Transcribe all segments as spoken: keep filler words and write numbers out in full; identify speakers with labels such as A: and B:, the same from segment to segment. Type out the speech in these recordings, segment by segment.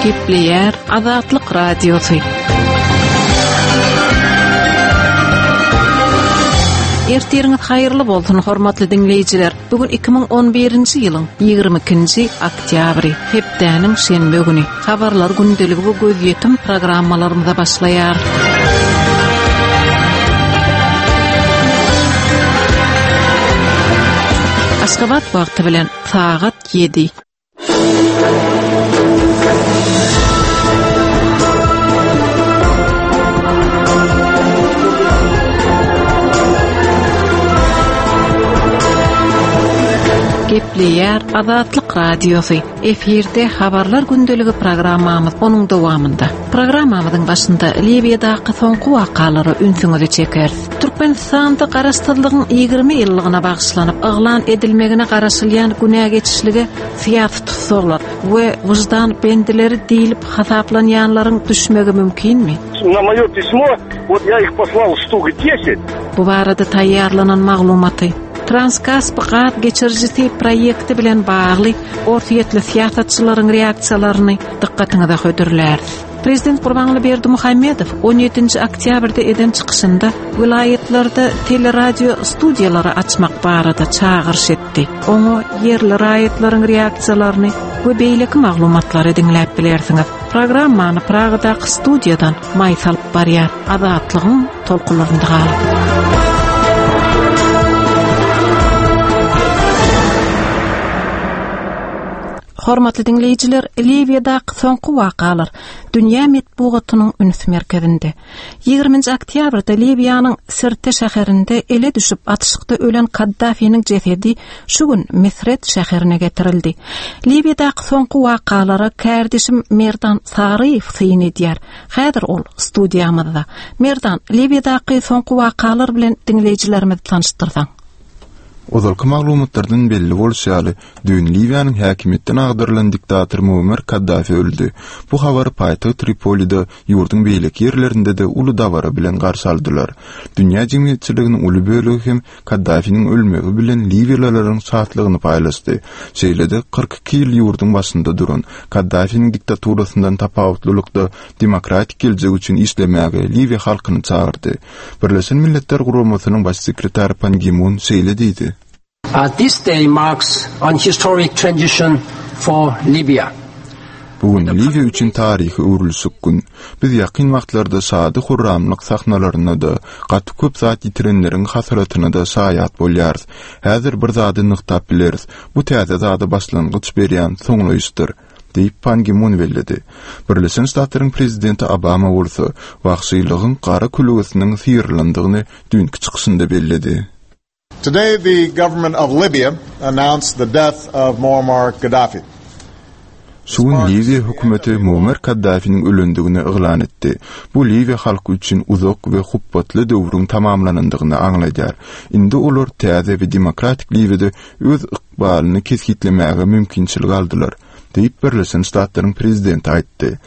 A: Gepleýär Azatlyk Radiosy. Ertiriňiz haýyrly bolsun, hormatly diňleýjiler. Bu gün iki müň on birinji ýylyň ýigrimi ikinji oktýabry, hepdäniň şenbe güni. Habarlar gündeligi we gözýetim programmalarymyza başlaýar. Aşgabat wagty bilen sagat ýedi. Gepleýär Azatlyk Radiosy. Efirde habarlar gündeligi programmamyz onuň dowamynda. Programmamyzyň başynda Liwiýadaky soňky wakalara ünsüňizi çekeris. Türkmenistanda garaşsyzlygyň ýigrimi ýyllygyna bagyşlanyp yglan edilmegine garaşylýan günä geçişlige syýasy tussaglar we wyždan bendileri diýlip hasaplanýanlaryň düşmegi mümkinmi?
B: Na moё pismo, вот я их послал штук десять.
A: Bu barada taýýarlanan maglumaty Transkasp gaz geçirijisi proýekti bilen bagly orsýetli syýasatçylaryň reaksiýalaryny dykgatyňyza hödürläris. Prezident Gurbanguly Berdimuhamedow on ýedinji oktýabrda eden çykyşynda welaýatlarda teleradio studiýalary açmak barada çagyryş etdi. Oňa ýerli raýatlaryň reaksiýalaryny we beýleki maglumatlary diňläp bilersiňiz. Programmany Pragadaky studiýadan maý salyp barýar. Azatlygyň tolkunlarynda galyň. Hormatly diňleýjiler, Liwiýadaky soňky wakalar dünýä metbugatynyň üns merkezinde. Ýigriminji oktýabrda Liwiýanyň Sirte şäherinde ele düşüp atyşykda ölen Kaddafiniň jesedi şu gün Misret şäherine getirildi. Liwiýadaky soňky wakalara kärdeşim Merdan Saryýew syn edýär. Häzir ol studiýamyzda. Merdan, Liwiýadaky soňky wakalar bilen diňleýjilerimizi tanyşdyrsaň.
C: Ozalky maglumatlardan belli bolşy ýaly, düýn Liwiýanyň häkimiýetden agdarylan diktator Muammar Kaddafi öldi. Bu habary paýtagt Tripolide, ýurduň beýleki ýerlerinde-de uly dabara bilen garşy aldylar. Dünýä jemgyýetçiliginiň uly bölegi hem Kaddafiniň ölmegi bilen liwiýalylaryň şatlygyny paýlaşdy. Şeýle-de kyrk iki ýyl ýurduň başynda duran Kaddafiniň diktaturasyndan tapawutlylykda demokratik geljek üçin işlemäge Liwiýa halkyny çagyrdy. Birleşen Milletler Guramasynyň baş sekretary Pan Gi-mun şeýle diýdi.
D: Uh, this day marks an historic transition for Libya.
C: Bu gün Liwiýa üçin taryhy öwrülişik gün. Biz ýakyn wagtlarda şady hurramlyk sahnalarynda-da, gaty köp zat ýitirenleriň hasratyna-da şaýat bolýarys. Häzir bir zady nygtap bileris. Bu täze zada başlangyç berýän soňlaýyşdyr, diýip Pan Gi-mun belledi. Birleşen Ştatlaryň prezidenti Obama bolsa, wagşylygyň gara külügesiniň syrylandygyny düýnki çykyşynda belledi.
E: Today the government of Libya announced the death of Muammar Gaddafi.
C: Şu gün Liwiýa hökümeti Muammar Kaddafiniň ölendigini yglan etdi. Bu Liwiýa halky üçin uzak we hupbatly döwrüň tamamlanandygyny aňladýar. Indi olar täze we demokratik Liwiýada öz ykbalyny kesgitlemäge mümkinçilik aldylar, diýip Birleşen Ştatlaryň prezidenti aýtdy.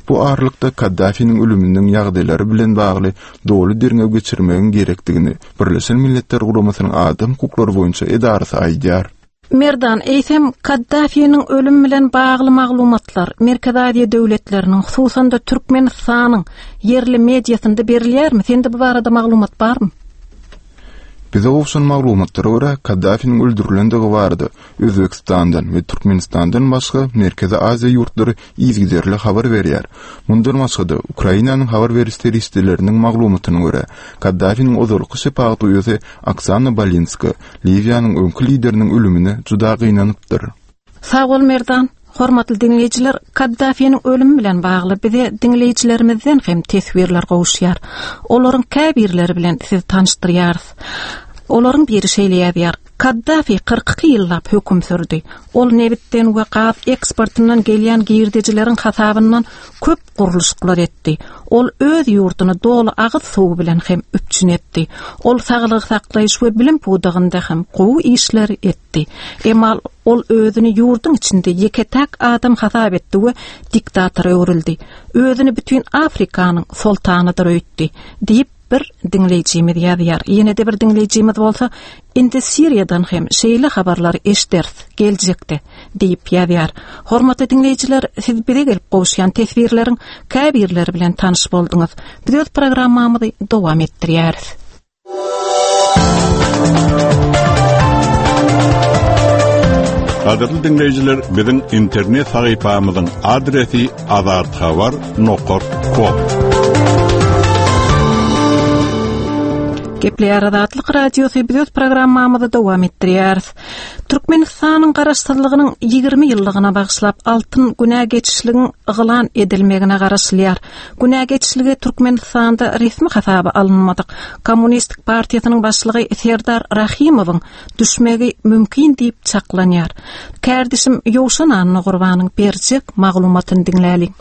C: Bu aralykda Kaddafiniň ölüminiň ýagdaýlary bilen bagly doly derňew geçirmegiň gerekdigini Birleşen Milletler Guramasynyň adam hukuklary boýunça edarasy aýdýar.
A: Merdan, eýsem Kaddafiniň ölüm bilen bagly maglumatlar Merkezi Aziýa döwletleriniň, hususan-da Türkmenistanyň ýerli mediasynda berilýärmi? Sende bu barada maglumat barmy?
C: Bize gowşan maglumatlara görä, Kaddafiniň öldürilendigi barada Özbekistandan we Türkmenistandan başga Merkezi Aziýa ýurtlary yzygiderli habar berýär. Mundan başga-da, Ukrainanyň habar beriş serişdeleriniň maglumatyna görä, Kaddafiniň ozalky şepagat uýasy Oksana Balinska Liwiýanyň öňki lideriniň ölümine juda gynanypdyr.
A: Sag bol Merdan. Hormatly diňleýjiler, Kaddafiniň ölümi bilen bagly bize diňleýjilerimizden hem teswirler gowuşýar. Olaryň käbirleri bilen sizi tanyşdyrýarys. Olaryň biri şeýle ýazýar: Kaddafi kyrk iki ýyllap höküm sürdi. Ol nebitden we gaz eksportyndan gelýän girdejileriň hasabyndan köp gurluşyklar etdi. Ol öz ýurduny doly agyz suwy bilen hem üpjün etdi. Ol saglygy saklaýyş we bilim pudagynda hem gowy işler etdi. Emma ol özüni ýurduň içinde ýeke-täk adam hasap etdi we diktatora öwrüldi. Özüni bütün Afrikanyň soltanydyr öýtdi, diýip bir diňleýjimiz ýazýar. Ýene de bir diňleýjimiz bolsa, indi Siriýadan hem şeýle habarlary eşderis Geljekde diýip ýazýar. Hormatly diňleýjiler, siz bize gelip gowuşýan teswirleriň käbirleri bilen tanyş bolduňyz. Biz öz programmamyzy dowam etdirýäris.
F: Gadyrly dinleýjiler, biziň internet sahypamyzyň adresi azathabar nokta com.
A: Gepleýär Azatlyk Radiosy biz öz programmamyzy dowam etdirýäris. Türkmenistanyň garaşsyzlygynyň ýigrimi ýyllygyna bagyşlap altyn günä geçişligiň yglan edilmegine garaşylýar. Günä geçişligi Türkmenistanda resmi hasaba alynmadyk. Kommunistik partiýasynyň başlygy Serdar Rahimowyň düşmegi mümkin diýip çaklanýar. Kärdişim Ýowşan Annagurbanyň berjek maglumatyny diňläliň.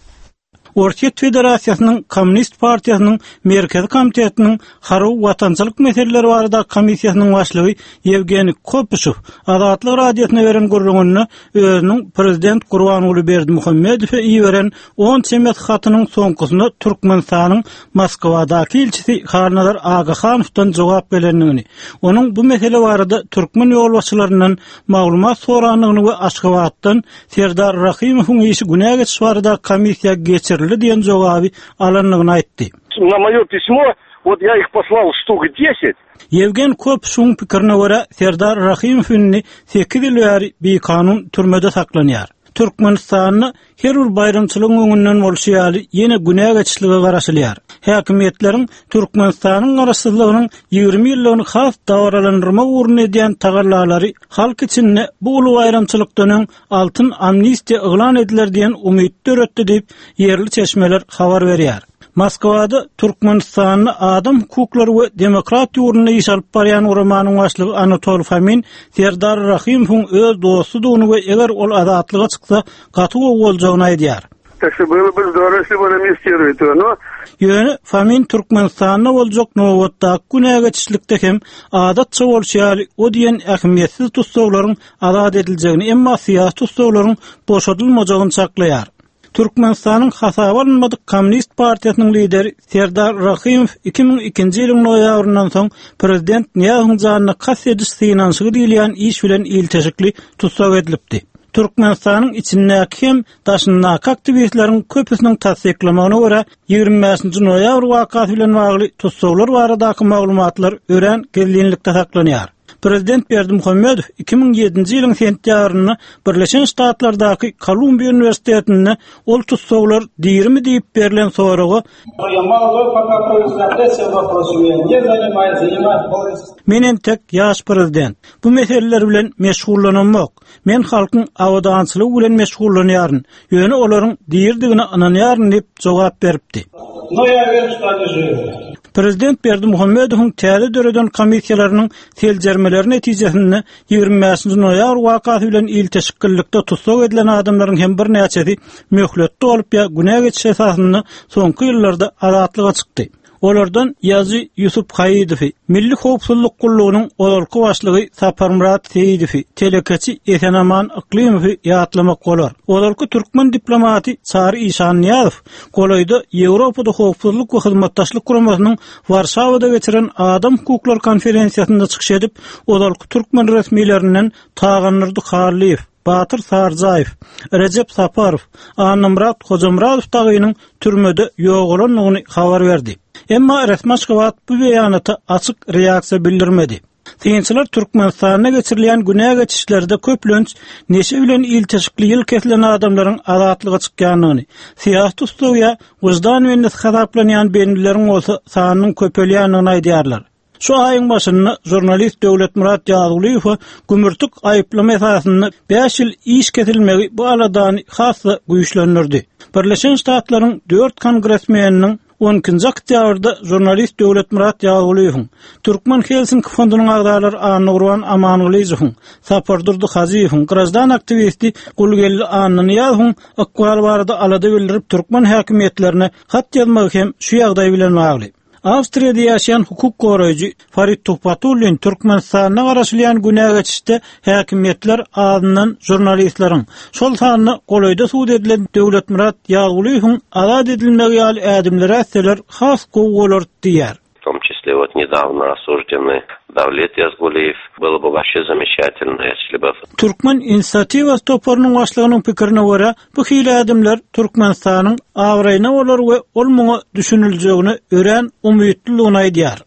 G: Ortiýet Federasiýasynyň Kommunist Partiýasynyň Merkezi Komitetiniň Harby Watançylyk Meseleleri barada komissiýasynyň başlygy Ýewgeniý Kopyşew Azatlyk Radiosyna beren gürrüňinde özüniň prezident Gurbanguly Berdimuhamedowa iberen on çemes hatynyň soňkusyna Türkmenistanyň Moskwadaky ilçisi Halnazar Agahanowdan jogap gelendigini, onuň bu mesele barada türkmen ýolbaşçylaryndan maglumat sorandygyny we Aşgabatdan Serdar Rahimowyň işi günä geçiş barada komissiýa geçirildi diýen jogaby alandygyny aýtdy.
B: Na moё письмо, вот я их послал штук десять.
G: Ýewgen Kopyşewiň pikirine görä Serdar Rahimow indi sekiz ýyl bäri bikanun türmede saklanýar. Türkmenistanda her bir baýramçylygyň öňünden bolşy ýaly ýene günä geçişlige garaşylýar. Häkimiýetleriň Türkmenistanyň garaşsyzlygynyň ýigrimi ýyllygyny has dabaralandyrmak ugrunda edýän tagallalary halk içinde bu uly baýramçylykdan öň altyn amnistiýa yglan ediler diýen umyt döretdi diýip ýerli çeşmeler habar berýär. Moskwada Türkmenistanda adam hukuklary we demokratiýa ugrunda iş alyp barýan guramanyň başlygy Anatol Fomin Serdar Rahimowyň öz dostudygyny we eger ol azatlyga çyksa gaty gowy boljagyny aýdýar.
B: Так что было бы здорово, если бы он амнистирует его, но
G: Ýöne Fomin Türkmenistanda boljak nobatdaky günä geçişlikde hem adatça bolşy ýaly o diýen ähmiýetsiz tussaglaryň azat ediljegini, emma syýasy tussaglaryň boşadylmajagyny çaklaýar. Türkmenistanyň hasaba alynmadyk Kommunist Partiýasynyň lideri Serdar Rahimow iki müň ikinji ýylyň noýabryndan soň prezident Nyýazowyň janyna kast ediş synanyşygy diýilýän iş bilen ilteşikli tussag edilipdi. Türkmenistanyň içindäki hem daşyndaky aktiwistleriň köpüsiniň tassyklamagyna görä ýigrimi bäşinji noýabr wakasy bilen bagly tussaglar baradaky maglumatlar örän gizlinlikde saklanýar. Prezident Berdimuhamedow iki müň ýedinji ýylyň sentýabrynda Birleşen Ştatlardaky Kolumbiýa Uniwersitetinde ol tussaglar dirimi diýip berlen soraga Men entek ýaş prezident. Bu meseleler bilen meşgullanamok. Men halkyň abadançylygy bilen meşgullanýaryn. Ýöne olaryň dirdigine ynanýaryn diýip jogap beripdi. Prezident Berdimuhamedowyň täze döreden komissiýalarynyň seljermeleri netijesinde ýigrimi bäşinji noýabr wakasy bilen ilteşiklilikde tussag edilen adamlaryň hem birnäçesi möhletde bolup ýa günä geçiş esasynda soňky ýyllarda azatlyga çykdy. Olardan Ýazy Ýusup Haýydowy, Milli Howpsuzlyk Gullugynyň ozalky başlygy Saparmyrat Seýidowy, telekeçi Esenaman Yklymowy ýatlamak bolar. Ozalky türkmen diplomaty Çary Işannyýazow golaýda Ýewropada Howpsuzlyk we Hyzmatdaşlyk Guramasynyň Warşawada geçiren adam hukuklary konferensiýasynda çykyş edip, ozalky türkmen resmilerinden Tagandurdy Hallyýew, Batyr Sarjaýew, Recep Saparow, Annamyrat Hojamyradow dagynyň türmede ýogalandygyny habar berdi. Emma resmi Aşgabat bu beýanata açyk reaksiýa bildirmedi. Synçylar Türkmenistanda geçirilýän günä geçişlerde köplenç neşe bilen ilteşikli ýyl kesilen adamlaryň azatlyga çykýandygyny, syýasy tussag ýa wyždan bendisi hasaplanýan bendileriň bolsa sanynyň köpelýändigini aýdýarlar. Şu aýyň başynda jurnalist Döwletmyrat Ýazgulyýewe gümürtik aýyplama esasynda bäş ýyl iş kesilmegi bu aladany has-da güýçlendirdi. Birleşen Ştatlaryň dört kongresmeniniň on ikinji oktýabrda jurnalist Döwletmyrat Ýazgulyýewiň, Türkmen Helsinki fondunyň agzalary Annagurban Amangylyjowyň, Sapardurdy Hazyýewiň, grajdan aktiwisti Gulgeldi Annanyýazowyň ykbaly barada alada bildirip türkmen häkimiýetlerine hat ýazmagy hem şu ýagdaý bilen bagly. Awstriýada ýaşaýan hukuk goraýjy Farid Tuhbatullin Türkmenistanda garaşylýan günä geçişde häkimiýetler azyndan jurnalistleriň, şol sanda golaýda sud edilen Döwletmyrat Ýazgulyýewiň azat edilmegi ýaly ädimleri ätseler has gowy bolar diýýär.
H: В том числе числе вот недавно осужденный Давлет Язгулиев. Было бы вообще замечательно, если бы
G: Türkmen inisiatiwasy toparynyň başlygynyň pikirine görä, bu hili ädimler Türkmenistanyň abraýyna bolar we ol muňa düşüniljegine örän umytlylygyny aýdýar.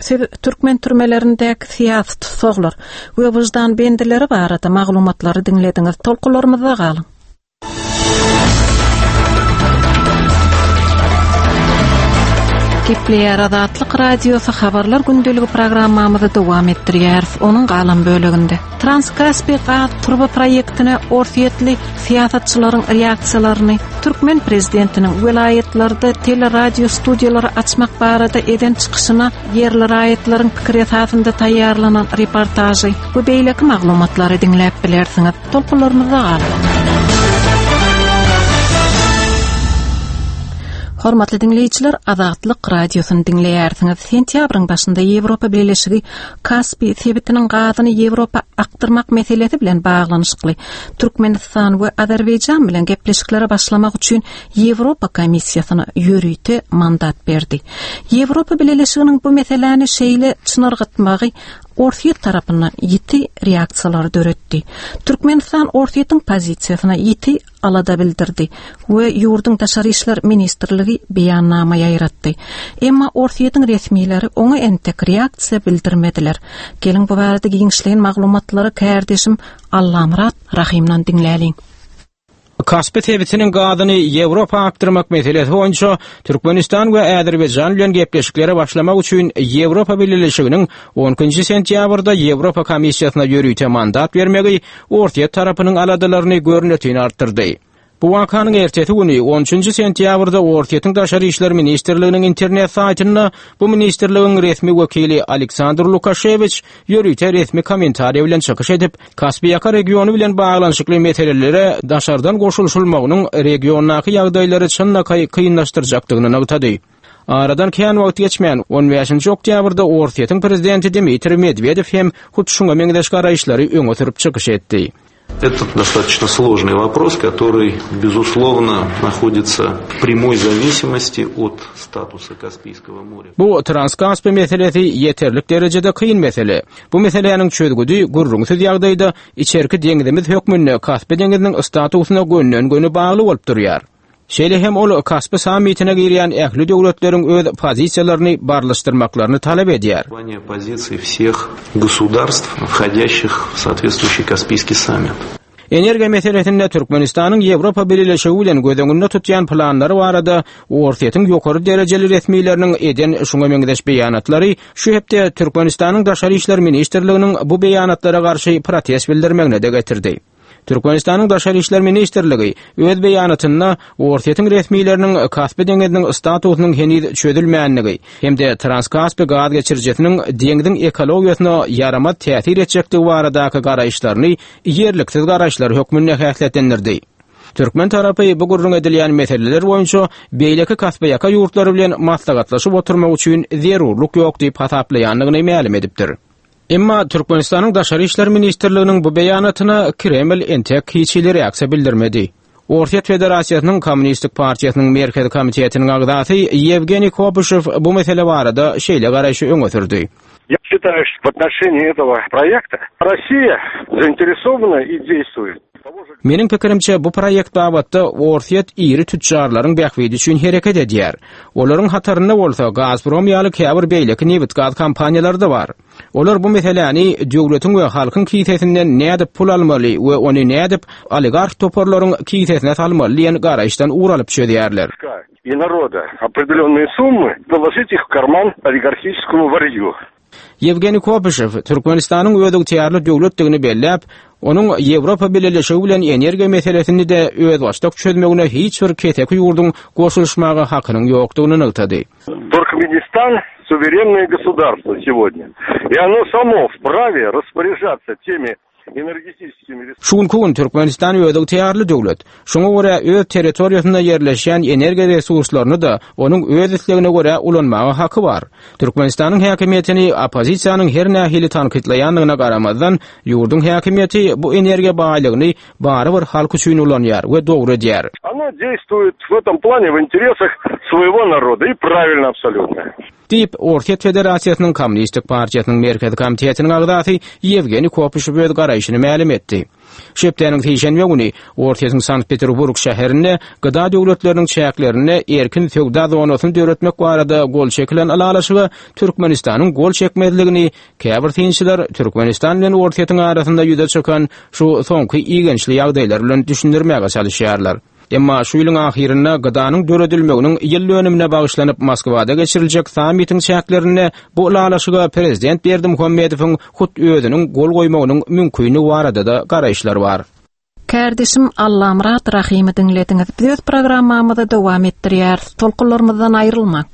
A: Siz türkmen türmelerindäki syýasy tussaglar we wyždan bendileri barada maglumatlary diňlediňiz. Tolkunlarymyzda galyň. Gepleýär Azatlyk Radiosy habarlar gündeligi programmamyzy dowam etdirýäris. Onuň galan böleginde Transkaspi gaz turba proýektine Orsýetli syýasatçylaryň reaksiýalaryny, türkmen prezidentiniň welaýatlarda teleradio studiýalary açmak barada eden çykyşyna ýerli raýatlaryň pikir esasynda taýýarlanan reportažy we beýleki maglumatlary diňläp bilersiňiz. Tolkunlarymyzda galyň. Hormatly diňleýjiler, Azatlyk radiosyny diňleýärsiňiz. Sentýabryň başynda Ýewropa Birleşigi Kaspi sebitiniň gazyny Ýewropa akdyrmak meselesi bilen baglanyşykly Türkmenistan we Azerbaýjan bilen gepleşiklere başlamak üçin Ýewropa Komissiýasyna ýörite mandat berdi. Ýewropa Birleşiginiň bu meseläni şeýle çynargytmagy Orsýet tarapyndan ýiti reaksiýalar döretdi. Türkmenistan Orsýetiň pozisiýasyna ýiti alada bildirdi we ýurduň Daşary işler ministrligi beýannama ýaýratdy. Emma Orsýetiň resmileri oňa entek reaksiýa bildirmediler. Geliň bu barada giňişleýin maglumatlary kärdeşim Allamyrat Rahimdan diňläliň.
I: Kaspi sebitiniň gazyny Ýewropa akdyrmak meselesi boýunça Türkmenistan we Azerbaýjan bilen gepleşiklere başlamak üçin Ýewropa Birleşiginiň on ikinji sentýabrda Ýewropa Komissiýasyna ýörite mandat bermegi Orsýet tarapynyň aladalaryny görnütini artdyrdy. Bu wakanyň ertesi güni on üçünji sentýabrda Orsýetiň Daşary işler ministrliginiň internet saýtynda bu ministrligiň resmi wekili Aleksandr Lukaşewiç ýörite resmi kommentariýa bilen çykyş edip, Kaspiýaka regiony bilen baglanyşykly meselelere daşardan goşulyşylmagynyň regiondaky ýagdaýlary çynlakaý kynlaşdyrjakdygyny nygtady. Aradan kän wagt geçmän on beşinji oktýabrda Orsýetiň prezidenti Dmitriý Medwedew hem hut şuňa meňzeş garaýyşlary öňe sürüp çykyş etdi.
J: Это достаточно сложный вопрос, который, безусловно, находится в прямой зависимости от статуса Каспийского моря.
I: Bu Transkaspi meselesi ýeterlik derejede kyn mesele. Bu meseläniň çözgüdi gürrüňsiz ýagdaýda içerki deňzimiz hökmünde Kaspi deňziniň statusyna gönden-göni bagly bolup durýar. Şeýle hem ol Kaspi sammitine girýän ähli döwletleriň öz pozisiýalaryny barlyşdyrmaklaryny talap edýär.
J: Позиции всех государств, входящих в соответствующий Каспийский саммит.
I: Energiýa meselesinde Türkmenistanyň Ýewropa Birleşigi bilen göz öňünde tutýan planlary barada Orsýetiň ýokary derejeli resmileriniň eden şuňa meňzeş beýanatlary şu hepde Türkmenistanyň Daşary işler ministrliginiň bu beýanatlara garşy protest bildirmegine de getirdi. Türkmenistanyň Daşary işler ministrligi öz beýanatynda Orsýetiň resmileriniň Kaspi deňziniň statusynyň heniz çözülmänligi hem-de Transkaspi gaz geçirijisiniň deňziň ekologiýasyna ýaramaz täsir etjekdigi baradaky garaýyşlaryny ýerliksiz garaýyşlar hökmünde häsiýetlendirdi. Türkmen tarapy bu gürrüň edilýän meseleler boýunça beýleki Kaspiýaka ýurtlary bilen maslahatlaşyp oturmak üçin zerurlyk ýok diýip hasaplaýandygyny mälim edipdir. Emma Türkmenistanyň Daşary işler ministrliginiň bu beýanatyna Kreml entek hiç hili reaksiýa bildirmedi. Orsýet Federasiýasynyň Kommunistik partiýasynyň Merkezi komitetiniň agzasy Ýewgeniý Kopyşew bu mesele barada şeýle garaýşy öňe sürdi.
B: Я считаю, что в отношении этого проекта Россия заинтересована и действует.
I: Meniň pikirimçe bu proýekt babatda Orsýet iri tüccarlaryň bähbidi üçin hereket edýär. Olaryň hatarynda bolsa Gazprom ýaly käbir beýleki nebit gaz kompaniýalary da bar. Olar bu meseläni döwletiň we halkyň kisesinden nädip pul almaly we ony nädip oligarx toparlaryň kisesine salmaly diýen garaýyşdan ugralyp çözýärler.
B: И народа определенные суммы положить их в карман олигархическому варью.
I: Ýewgeniý Kopyşew Türkmenistanyň öz ygtyýarly döwletdigini belläp, onuň Ýewropa Birleşigi bilen energiýa meselesini de özbaşdak çözmegine hiç bir keseki ýurduň goşulyşmaga hakynyň ýokdugyny nygtady.
B: Туркменистан суверенное государство сегодня, и оно само вправе распоряжаться теми энергетическими ресурсами.
I: Şu günki gün Türkmenistan öz ygtyýarly döwlet. Şoňa görä öz territoriýasynda ýerleşýän energiýa resurslaryny da onuň öz islegine görä ulanmaga haky bar. Türkmenistanyň häkimiýetini oppozisiýanyň her nähili tankytlaýandygyna garamazdan, ýurduň häkimiýeti bu energiýa baýlygyny barybir halk üçin ulanýar we dogry edýär.
B: Оно действует в этом плане в интересах своего народа и правильно абсолютно.
I: Diýip, Orsýet Federasiýasynyň Kommunistik partiýasynyň Merkezi komitetiniň agzasy Ýewgeniý Kopyşew öz garaýşyny mälim etdi. Şu hepdäniň sişenbe güni Orsýetiň Sankt-Peterburg şäherinde G D A döwletleriniň çäklerinde erkin söwda zonasyny döretmek barada gol çekilen ylalaşyga Türkmenistanyň gol çekmezligini käbir synçylar Türkmenistan bilen Orsýetiň arasynda ýüze çykan şu soňky igençli ýagdaýlar bilen düşündirmäge çalışýarlar. Emma şu ýylyň ahyrynda G D A-nyň döredilmeginiň ýyl dönümine bagyşlanyp Moskwada geçiriljek sammitiň çäklerinde bu ylalaşyga prezident Berdimuhamedowyň hut özüniň gol goýmagynyň mümkinligi barada da garaýyşlar bar.
A: Kardeşim Allamyrat Rahimi diňlediňiz. Biz öz programmamyzy dowam etdirýäris. Tolkunlarymyzdan aýrylmaň.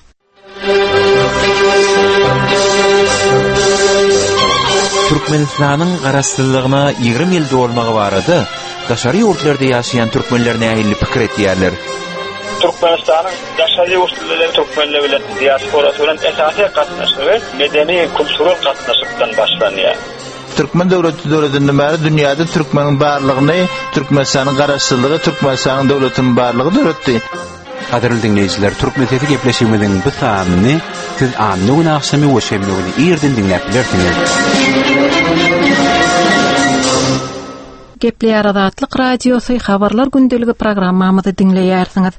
K: Türkmenistanyň garaşsyzlygyna ýigrimi ýyl dolmagy barada daşary ýurtlarda ýaşaýan türkmenler nähili pikir etýärler?
L: Türkmenistanyň daşary ýurtlarda türkmenler bilen diasporasy bilen esasy gatnaşygy medeni kültürel gatnaşykdan başlanýar.
M: Türkmen döwleti döredilenden bäri dünýäde türkmeniň barlygyny, Türkmenistanyň garaşsyzlygy, Türkmenistanyň döwletiniň barlygy döretdi.
K: Gadyrly dinleýjiler, Türkmen sesi gepleşigimiziň bu sanyny siz anna gün agşamy we şenbe güni irden diňläp bilersiňiz.
A: Gepleýär Azatlyk Radiosy habarlar gündeligi programmamyzy diňleýärsiňiz.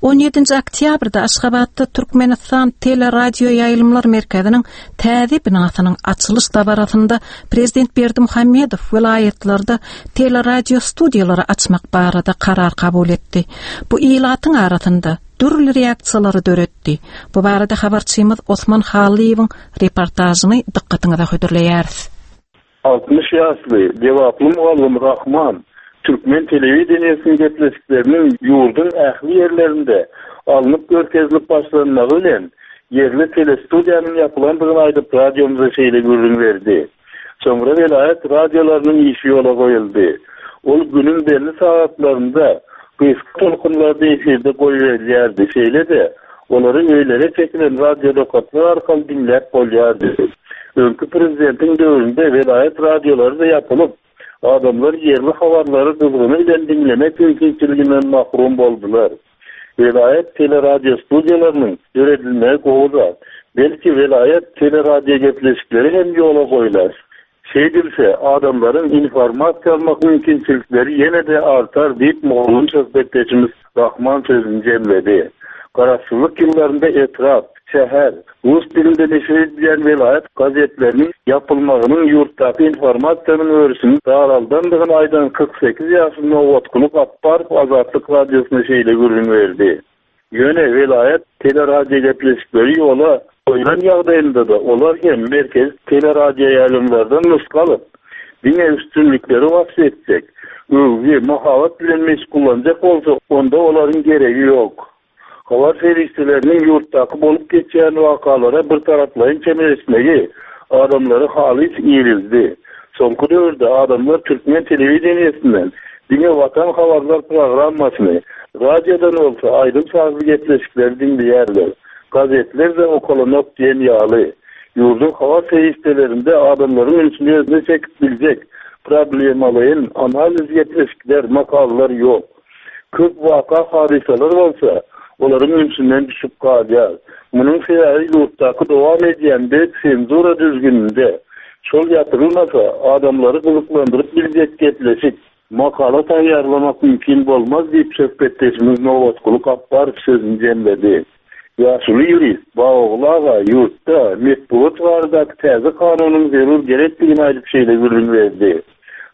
A: On ýedinji oktýabrda Aşgabatda Türkmenistan Teleradio ýaýlymlar merkeziniň täze binasynyň açylyş dabarasynda Prezident Berdimuhamedow welaýatlarda teleradio studiýalary açmak barada karar kabul etdi. Bu ilatyň arasynda dürli reaksiýalary döretdi. Bu barada habarçymyz Osman Halyýewiň reportažyny dykgatyňyza hödürleýäris.
N: Altmyş ýaşly Lebaply mugallym Rahman Türkmen telewideniýesiniň gepleşikleriniň ýurduň ähli ýerlerinde alnyp görkezilip başlanmagy bilen ýerli telestudiýanyň ýapylandygyny aýdyp radiomyza şeýle gürrüň berdi. Soňra welaýat radiolarynyň işi ýola goýuldy. Ol günüň belli sagatlarynda gysga tolkunlarda efirde goýberilýärdi. Şeýle-de olary öýlere çekilen radiolokatlar arkaly diňläp bolýardy. Öňki prezidentiň döwründe welaýat radiolary da ýapylyp, adamlar ýerli habarlary gyzgyny bilen diňlemek mümkinçiliginden mahrum boldular. Welaýat teleradio studiýalarynyň döredilmegi gowy zat. Belki welaýat teleradio gepleşikleri hem ýola goýlar. Şeýdilse, adamlaryň informasiýa almak mümkinçilikleri ýene-de artar diýip mugallym söhbetdeşimiz Rahman sözüni jemledi. Garaşsyzlyk ýyllarynda etrap, şäher, rus dilinde neşir edilýän welaýat gazetleriniň ýapylmagynyň ýurtdaky informasiýanyň örüsini daraldandygyny aýdan kyrk sekiz ýaşly Nobatguly Gapbarow Azatlyk radiosyna şeýle gürrüň berdi. Ýöne welaýat teleradio gepleşikleri ýola goýlan ýagdaýynda-da olar hem merkez teleradio ýaýlymlardan nusga alyp, diňe üstünlikleri wasp etjek, öwgi, mahabat bilen meşgullanjak bolsa, onda olaryň geregi ýok. Habar serişdeleriniň ýurtdaky bolup geçýän wakalara bir taraplaýyn çemeleşmegi adamlary halys irildi. Soňky döwürde adamlar Türkmen telewideniýesinden diňe Watan habarlar programmasyny, radiodan bolsa aýdym sazly gepleşikleri diňleýärler. Gazetler de okalanok diýen ýaly. Ýurduň habar serişdelerinde adamlaryň ünsüni özüne çekip biljek problemalaýyn analiz gepleşikler, makalalar ýok. Köp waka hadysalar bolsa olaryň ünsünden düşüp galýar. Munuň sebäbi ýurtdaky dowam edýän berk senzura düzgüninde şol ýatyrylmasa adamlary gyzyklandyryp biljek gepleşik, makala taýýarlamak mümkin bolmaz diýip söhbetdeşimiz Nobatguly Gapbarow sözüni jemledi. Ýaşuly ýurist Baogul aga ýurtda metbugat baradaky täze kanunyň zerur gerekdigini aýdyp şeýle gürrüň berdi.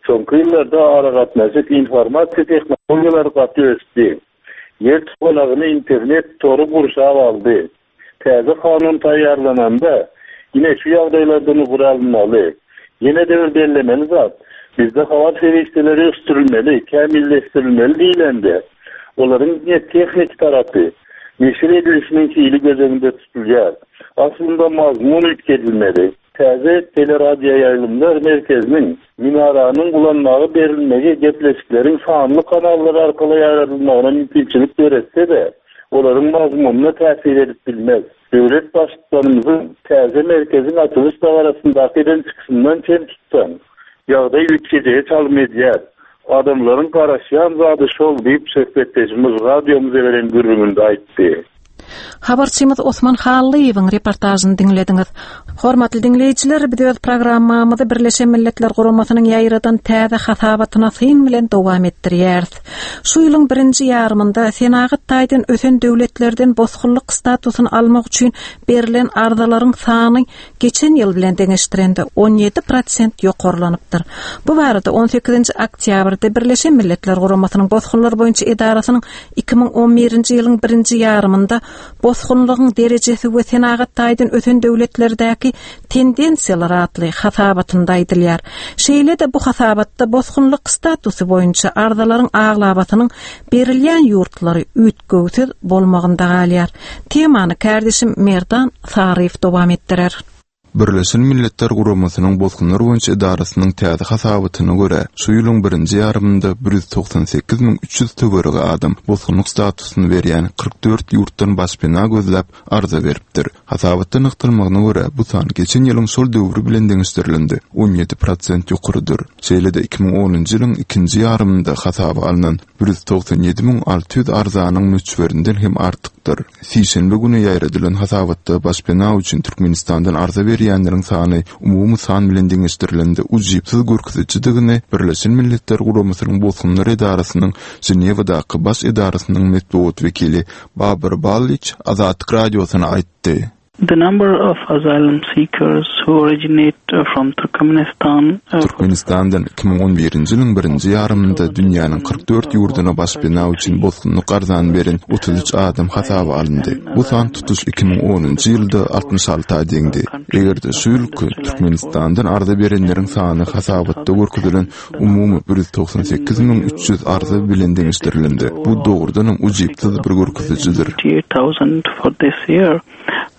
N: Soňky ýyllarda aragatnaşyk informasiýa tehnologiýalary gaty ösdi. Ýer topalagyny internet tory gurşap aldy. Täze kanun taýýarlananda ýene şu ýagdaýlardan ugur alynmaly. Ýene de bir bellemeli zat, bizde habar serişdeleri ösdürilmeli, kämilleşdirilmeli diýilende, olaryň diňe tehniki tarapy, neşir edilişiniň hili göz öňünde tutulýar. Aslynda mazmun üýtgedilmeli. Täze teleradio ýaýlymlar merkeziniň minaranyň ulanmagy berilmegi gepleşikleriň sanly kanallar arkaly ýaýradylmagyna mümkinçilik döretse-de, olaryň mazmunyna täsir edip bilmez. Döwlet baştutanymyzyň täze merkeziň açylyş dabarasyndaky eden çykyşyndan çen tutsaň, ýagdaý üýtgejegi çalym edýär. Adamlaryň garaşýan zady şol diýip söhbetdeşimiz radiomyza beren gürrüňinde aýtdy.
A: Habarçymyz Osman Hallyýewiň reportažyny diňlediňiz. Hormatly diňleýjiler, biz öz programmamyzy Birleşen Milletler Guramasynyň ýaýradan täze hasabatyna syn bilen dowam etdirýäris. Şu ýylyň birinji ýarymynda senagat taýdan ösen döwletlerden bosgunlyk statusyny almak üçin berlen arzalaryň sany geçen ýyl bilen deňeşdirende on ýedi prosent ýokarlanypdyr. Bu barada on sekizinji oktýabrda Birleşen Milletler Guramasynyň bosgunlar boýunça edarasynyň iki müň on birinji ýylyň birinji ýarymynda bosgunlygyň derejesi we senagat taýdan ösen döwletlerdäki tendensiýalar atly hasabatynda aýdylýar. Şeýle-de bu hasabatda bosgunlyk statusy boýunça arzalaryň aglabasynyň berilýän ýurtlary üýtgewsiz bolmagynda galýar. Temany kardeşim Merdan Saryýew dowam etdirer.
C: Birleşen Milletler Guramasynyň bosgunlar boýunça edarasynyň täze hasabatyna görä, şu ýylyň birinji ýarymynda bir ýüz togsan sekiz müň üç ýüz töweregi adam bosgunlyk statusyny berýän kyrk dört ýurtdan başpena gözläp arza beripdir. Hasabatda nygtalmagyna görä, bu san geçen ýylyň şol döwri bilen deňeşdirilende on ýedi prosent ýokarydyr. Şeýle-de iki müň onunjy ýylyň ikinji ýarymynda hasaba alnan bir ýüz togsan ýedi müň alty ýüz arzanyň möçberinden hem artykdyr. Sişenbe güni ýaýradylan hasabatda başpena üçin Türkmenistandan arza berýänleriň sany umumy san bilen deňeşdirilende ujypsyz görkezijidigini Birleşen Milletler Guramasynyň Bosgunlar edarasynyň Ženewadaky baş edarasynyň metbugat wekili Babur Balliç Azatlyk radiosyna aýtdy.
O: The number of asylum seekers who originate from Turkmenistan, uh,
C: Türkmenistandan iki müň on birinji ýylyň birinji ýarymynda dünýäniň kyrk dört ýurduna başpena üçin bosgunlyk arzany beren otuz üç adam hasaba alyndy. Bu san tutuş iki müň onunjy ýylda altmyş alta deňdi. Eger-de şu ýylky Türkmenistandan arza berenleriň sany hasabatda görkezilen umumy bir ýüz togsan sekiz müň üç ýüz arza bilen deňeşdirilende, bu dogrudanam ujypsyz bir görkezijidir.
O: For this year.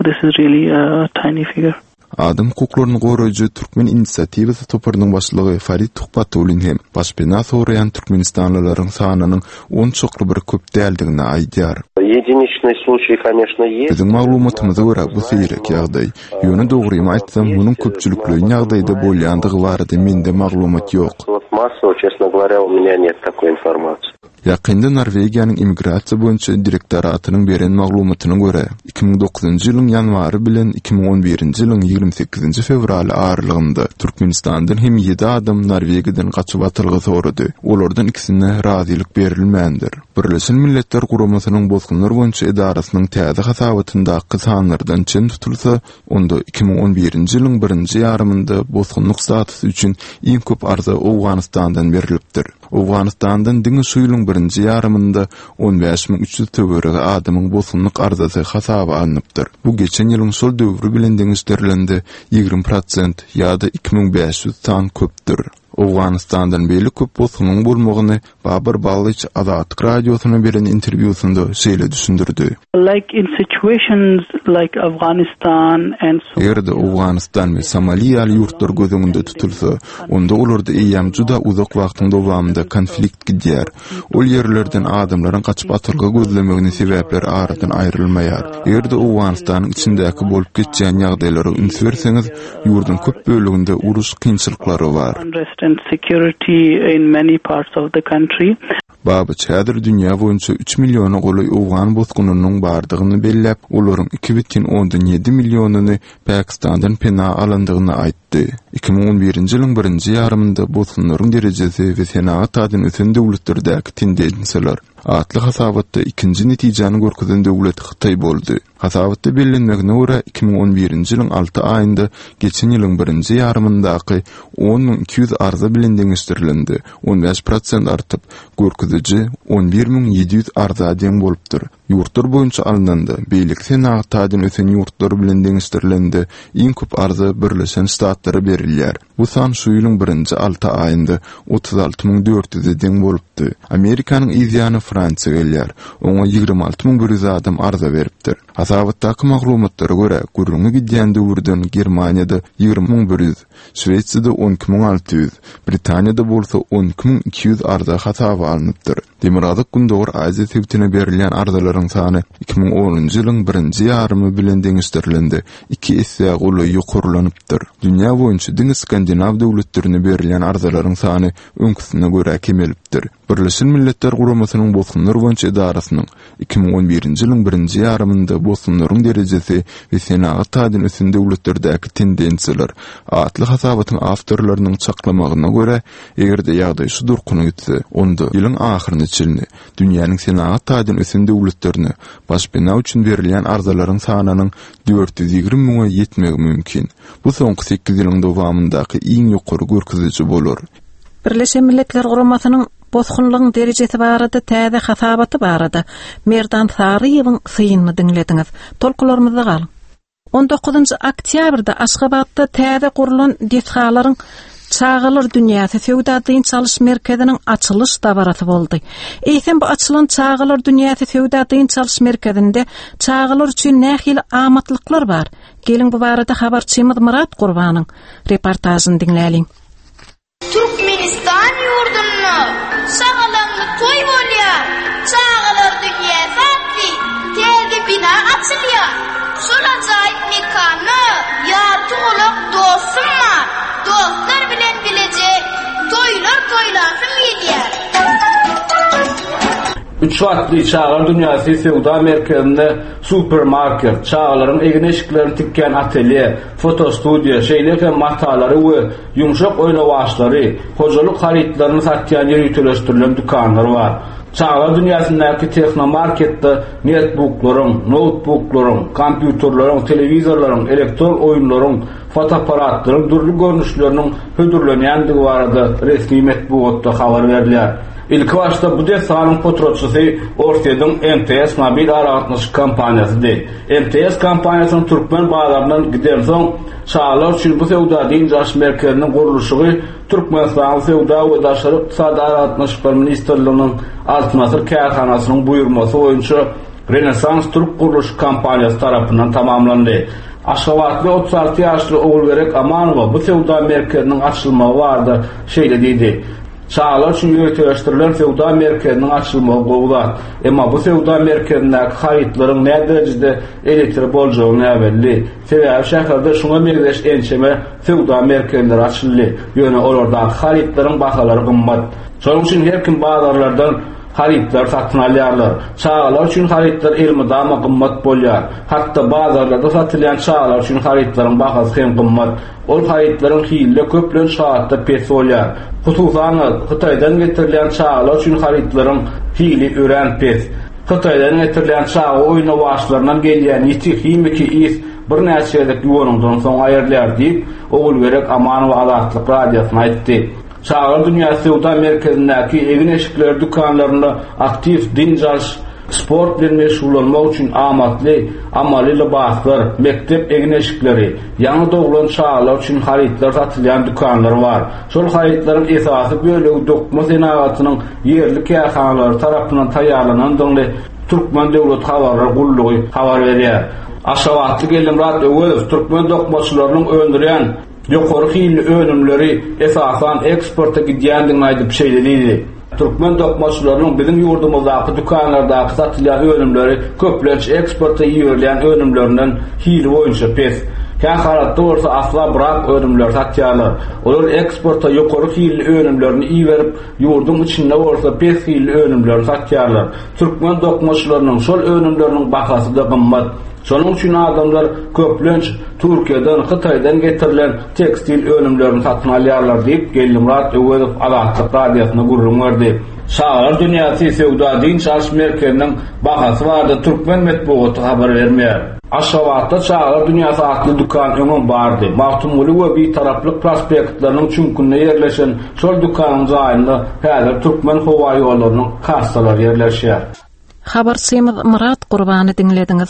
O: This is really a tiny figure.
C: Adam hukuklaryny goraýjy Türkmen inisiatiwasy toparynyň başlygy Farid Tuhbatullin hem başpena soraýan türkmenistanlylaryň sanynyň onçakly bir köp däldigini aýdýar.
H: Единичный случай, конечно, есть.
C: Biziň maglumatymyza görä bu seýrek ýagdaý. Ýöne dogrymy aýtsam, munuň köpçülikleýin ýagdaýda bolýandygy barada mende maglumat ýok.
H: Вот массово, честно говоря, у меня нет такой информации.
C: Ýakynda Norwegiýanyň immigrasiýa boýunça direktoratynyň beren maglumatyna görä, iki müň dokuzynjy ýylyň ýanwary bilen iki müň on birinji ýylyň ýigrimi sekizinji fewraly aralygynda Türkmenistandan hem ýedi adam Norwegiýadan gaçyp atylgy sorady. Olardan ikisine razylyk berilmändir. Birleşen Milletler Guramasynyň bosgunlar boýunça edarasynyň täze hasabatyndaky sanlardan çen tutulsa, onda iki müň on birinji ýylyň birinji ýarymynda bosgunlyk statusy üçin iň köp arza Owganystandan berilipdir. Owganystandan diňe şu ýylyň birinji ýarymynda on bäş müň üç ýüz töweregi adamyň bosgunlyk arzasy hasaba alnypdyr. Bu geçen ýylyň şol döwri bilen deňeşdirilende ýigrimi prosent ýa-da iki müň bäş ýüz san köpdür. Owganystandan beýle köp bosgunyň bolmagyny Babur Balliç Azatlyk radiosyna beren interwýusynda şeýle düşündirdi.
O: Like in situations like Afghanistan and so
C: Eger-de Owganystan we Somaliýa ýaly ýurtlar göz öňünde tutulsa, onda olarda eýýäm juda uzak wagtyň dowamynda konflikt gidýär. Ol ýerlerden adamlaryň gaçyp atylgy gözlemegini sebäpler aradan aýrylmaýar. Eger-de Owganystanyň içindäki bolup geçýän ýagdaýlara üns berseňiz, ýurduň köp bölüminde uruş kynçylyklary bar.
O: Unrest and security in many parts of the country.
C: Babyç häzir dünýä boýunça üç milliona golaý Owgan bosgunynyň bardygyny belläp, olaryň iki bütin ondan ýedi millionyny Pakistandan pena alandygyny aýtdy. Iki müň on birinji ýylyň birinji ýarymynda bosgunlaryň derejesi we senagat taýdan ösen döwletlerdäki tendensiýalar atly hasabatda ikinji netijäni görkezen döwlet Hytaý boldy. Hasabatda bellenmegine görä iki müň on birinji ýylyň alty aýynda geçen ýylyň birinji ýarymyndaky on müň iki ýüz arza bilen deňeşdirilende on bäş prosent artyp, görkeziji on bir müň ýedi ýüz arza deň bolupdyr. Ýurtlar boýunça alnanda, beýleki senagat taýdan ösen ýurtlar bilen deňeşdirilende iň köp arza Birleşen Ştatlara berilýär. Bu san şu ýylyň birinji alty aýynda otuz alty müň dört ýüze deň bolupdy. Amerikanyň yzýany Fransiýa gelýär. Oňa ýigrimi alty müň bir ýüz adam arza beripdir. Hasabatdaky maglumatlara görä, gürrüňi gidýän döwürden Germaniýada ýigrimi müň bir ýüz, Şwetsiýada on iki müň alty ýüz, Britaniýada bolsa on iki müň iki ýüz arza hasaba alnypdyr. Demirgazyk Gündogar Aziýa sebitine berilýän arzalaryň sany iki müň onunjy ýylyň birinji ýarymy bilen deňeşdirilende iki esse golaý ýokarlanypdyr. Dünýä boýunça diňe Skandinaw döwletlerine berilýän arzalaryň sany öňküsine görä kemelipdir. Birleşen Milletler Guramasynyň Bosgunlar boýunça edarasynyň iki müň on birinji ýylyň birinji ýarymynda bosgunlaryň derejesi we senagat taýdan ösen döwletlerdäki tendensiýalar atly hasabatyň awtorlarynyň çaklamagyna görä, eger-de ýagdaý şu durkuna gitse, onda ýylyň ahyryna çenli dünýäniň senagat taýdan ösen döwletlerine başpena üçin berilýän arzalaryň sanynyň dört ýüz ýigrimi müňe ýetmegi mümkin. Bu soňky sekiz ýylyň dowamyndaky iň ýokary görkeziji bolar.
A: Birleşen Milletler Guramasynyň bosgunlygyň derejesi barada täze hasabaty barada Merdan Saryýewiň synyny diňlediňiz. Tolkularymyzda galyň. On dokuzynjy oktýabrda Aşgabatda täze gurlan desgalaryň Çagalar dünýäsi söwda dynç alyş merkeziniň açylyş dabarasy boldy. Eýsem bu açylan Çagalar dünýäsi söwda dynç alyş merkezinde çagalar üçin nähili amatlyklar bar? Geliň bu barada habarçymyz Myrat Gurbanyň reportažyny diňläliň.
P: Türkmenistan ýurdunda şagalaňly toý bolýar. Çagalar dünýäsi atly täze bina açylýar. Şol ajaýyp mekanda ýarty gulak dostum bar. Dostlar bilen bileje toýlar toýlasym gelýär.
Q: Üç gatly Çagalar dünýäsi söwda merkezinde supermarket, çagalaryň egin-eşiklerini tikýän atelýe, fotostudiýa, şeýle hem matalary we ýumşak oýnawaçlary, hojalyk harytlaryny satýan ýöriteleşdirilen dükanlar bar. Çagalar dünýäsindäki tehnomarketde netbooklaryň, noutbuklaryň, kompýuterleriň, telewizorlaryň, elektron oýunlaryň, fotoaparatlaryň dürli görnüşleriniň hödürlenýändigi barada resmi metbugatda habar berilýär. Ilki başda bu desganyň potratçysy Orsýetiň M T S mobil aragatnaşyk kompaniýasydy. M T S kompaniýasynyň türkmen bazaryndan gidensoň, çagalar üçin bu söwda dynç alyş merkeziniň gurluşygy Türkmenistanyň Söwda we Daşary ykdysady aragatnaşyklar ministrliginiň Altyn Asyr kärhanasynyň buýurmasy boýunça Renesans Türk gurluşyk kompaniýasy tarapyndan tamamlandy. Aşgabatly otuz alty ýaşly Ogulgerek Amanowa bu söwda merkeziniň açylmagy barada şeýle diýdi. Çagalar üçin ýöriteleşdirilen söwda merkeziniň açylmagy gowy zat. Emma bu söwda merkezindäki harytlaryň nä derejede elektrik boljagy näbelli. Sebäbi şäherde şuňa meňzeş ençeme söwda merkezleri açyldy. Ýöne olardaky harytlaryň bahalary gymmat. Şonuň üçin her kim bazarlardan harytlar satyn alýarlar. Çagalar üçin harytlar elmydama gymmat bolýar. Hatda bazarlarda satylýan çagalar üçin harytlaryň bahasy hem gymmat. Ol harytlaryň hili köplenç halatda pes bolýar. Hususan Hytaýdan getirilýän çagalar üçin harytlaryň hili örän pes. Hytaýdan getirilýän çaga oýnawaçlaryndan gelýän ýiti himiki is birnäçe gezek ýuwanyňdan soň aýrylýar diýip, Ogulgerek Amanowa Azatlyk radiosyna aýtdy. Çagalar dünýäsi söwda merkezindäki egin-eşikler dükanlarynda aktiw dynç alyş, sport bilen meşgullanmak üçin amatly, amaly lybaslar, mekdep egin-eşikleri, ýaňy doglan çagalar üçin harytlar satylýan dükanlar bar. Şol harytlaryň esasy bölegi dokma senagatynyň ýerli kärhanalary tarapyndan taýýarlanandygyny Türkmen Döwlet Habarlar gullugy habar berýär. Aşgabatly Geldimyrat Öwezow türkmen dokmaçylarynyň öndürýän ýokary hilli önümleri esasan eksporta gidýändigini aýdyp şeýle diýdi. Türkmen dokmaçylarynyň biziň ýurdumyzdaky dükanlardaky satylýan önümleri köplenç eksporta iberilýän önümlerinden hili boýunça pes. Kähalatda bolsa asla brak önümleri satýarlar. Olar eksporta ýokary hilli önümlerini iberip, ýurduň içinde bolsa pes hilli önümleri satýarlar. Türkmen dokmaçylarynyň şol önümleriniň bahasy da gymmat. Şonuň üçin adamlar köplenç Türkiýeden, Hytaýdan getirilen tekstil önümlerini satyn alýarlar diýip Geldimyrat Öwezow Azatlyk radiosyna gürrüň berdi. Çagalar dünýäsi söwda dynç alyş merkeziniň bahasy barada türkmen metbugaty habar bermeýär. Aşgabatda Çagalar dünýäsi atly dükan öňem bardy. Magtymguly we Bitaraplyk prospektleriniň çüňkünde ýerleşen şol dükanyň jaýynda häzir Türkmen howa ýollarynyň kassalary ýerleşýär.
A: Habarçymyz Myrat Gurbany diňlediňiz.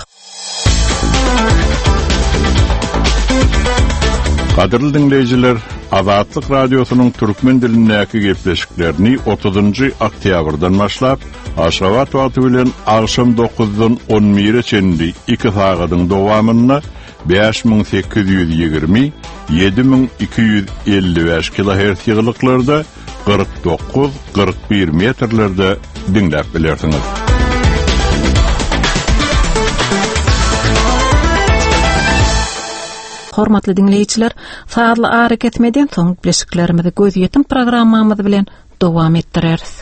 F: Gadyrly diňleýjiler, Azatlyk radiosynyň türkmen dilindäki gepleşiklerini otuzynjy oktýabrdan başlap, Aşgabat wagty bilen agşam dokuzdan on bire çenli iki sagadyň dowamynda bäş müň sekiz ýüz ýigrimi, ýedi müň iki ýüz elli bäş kilohertz ýygylyklarda kyrk dokuz, kyrk bir metrlerde diňläp bilersiňiz.
A: Hormatly dinleýjiler, sazly ara kesmeden soň gepleşiklerimizi gözýetim programmamyz bilen dowam etdireris.